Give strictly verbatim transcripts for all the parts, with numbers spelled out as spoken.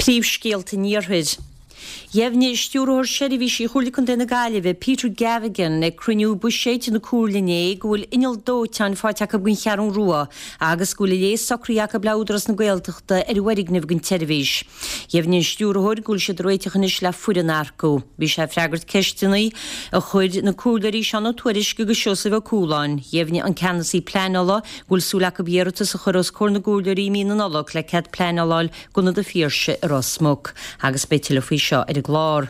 Príomhscéalta an Iarthair. Dheimhnigh Stiúrthóir Seirbhísí Chomhairle Contae na Gaillimhe, Peter Gavigan, ag cruinniú buiséid na Comhairle inné go bhfuil inneall dóiteáin faighte acu don Cheathrú Rua agus go bhfuil a léas socraithe acu le Údarás na Gaeltachta ar an bhfoirgneamh don tseirbhís. Dheimhnigh an stiúrthóir go bhfuil siad ag réiteach anois le foireann a earcú. Bhí sé ag freagairt ceisteanna a chuir na Comhairleoirí Seán Ó Tuairisg agus Seosamh Ó Cualáin. Dheimhnigh an ceannasaí pleanála go bhfuil súil acu iarratas a chur os comhair na gComhairleoirí i mí na Nollag le cead pleanála a fháil d'Ionad an Phiarsaigh i Ros Muc. Agus beidh tuilleadh faoi seo ar an gclár.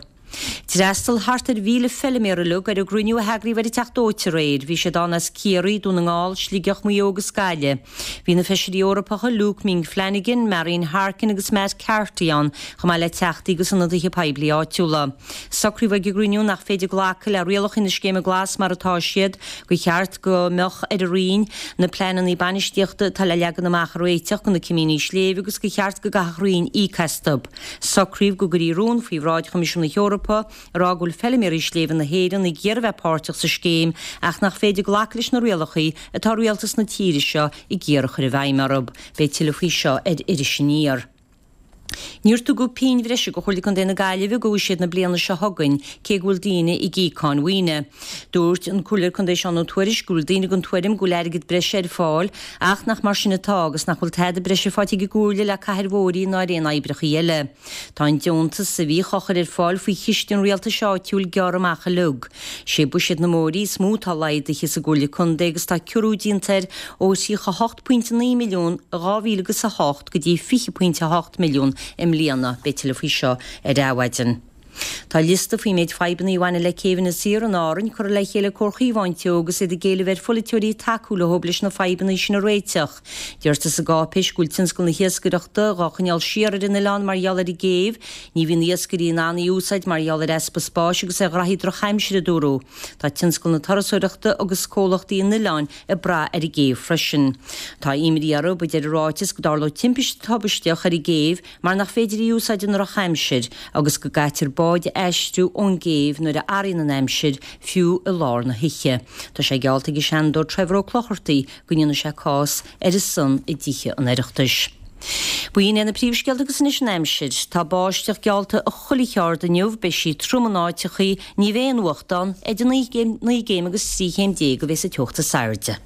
D'fhreastail thart ar mhíle feiliméar uilig ar an gcruinniú a heagraíodh ar an Teach Dóite aréir. Bhí siad ann as Ciarraí, Dún na nGall, Sligeach, Maigh Eo agus Gaillimh. Bhí na feisirí Eorpacha Luke Ming Flanagan, Marian Harkin agus Matt Carthy ann, chomh maith le teachtaí agus ionadaithe poiblí áitiúla. Socraíodh ag an gcruinniú nach féidir glacadh le rialacha na Scéime Glas mar atá siad, gur cheart go mbeadh ar an Roinn na pleananna bainistíochta atá le leagan amach a réiteach do na cimíní sléibhe agus gur cheart go gcaithfeadh an Roinn íoc astu. Socraíodh go gcuirfí rún faoi bhráid Choimisiún na hEorpa ag rá go bhfuil feiliméaraí sléibhe na hÉireann ag iarraidh bheith páirteach sa scéim ach nach féidir glacadh leis na rialacha atá rialtas na tíre seo ag iarraidh a chur i bhfeidhm orthu. Beidh tuilleadh faoi seo ar Iris Aniar. Níor tugadh pingin bhreise do Chomhairle Contae na Gaillimhe do bhuiséad na bliana seo chugainn, cé go bhfuil daoine ag íoc cáin mhaoine. Dúirt an Comhairleoir Contae Seán Ó Tuairisg go bhfuil daoine den tuairim go bhfuil airgead breise ar fáil ach nach mar sin atá agus nach bhfuil tada breise faighte ag an gComhairle le cathair Mhóir ná ar aon oibreacha eile. Tá an deontas a bhíodh á chur ar fáil faoi chiste an rialtais áitiúil gearrtha amach uilig. Sé buiséad na mbóithrí is mó atá laghdaithe sa gComhairle Contae agus tá ciorrú déanta air ó tríocha a hocht pointe naoi milliún i dhá mhíle agus a hocht go dtí fiche pointe a hocht milliún i mbliana. Beidh tuilleadh faoi seo ar Adhmhaidin. Tá liosta faoin méid fadhbanna a bhaineann le céibheanna saor in Árainn curtha le chéile ag Comhar Chaomhán Teo agus iad ag éileamh ar pholaiteoirí tacú leo leis na fadhbanna sin a réiteach. Deirtear sa gcáipéis go bhfuil tionscal na hiascaireachta dhá choinneáil siar ar an oileán mar gheall ar an gcéibh. Ní bhíonn iascairí in ann í a úsáid mar gheall ar easpa spáis agus ar ghraithí drochaimsire, a dúradh. Tá tionscal na turasóireachta agus comhlachtaí an oileáin ag brath ar an gcéibh freisin. Tá imní orthu, a deir an ráiteas, go dtarlódh timpiste tubaisteach ar an gcéibh mar nach féidir í a úsáid i ndrochaimsir agus go gcaitear báid a aistriú ón gcéibh nuair a athraíonn an aimsir, fiú i lár na hoíche. Tá sé geallta ag an Seanadóir Trevor Ó Clochartaigh go ndéanfaidh sé cás ar a son i dTithe an Oireachtais. B'in iad na príomhscéalta agus anois an aimsir. Tá báisteach geallta i chuile cheard inniu, beidh sí trom in áiteachaí, ní bheidh aon fhuacht ann, idir naoi gcéim agus trí chéim déag a bheas an teocht is airde.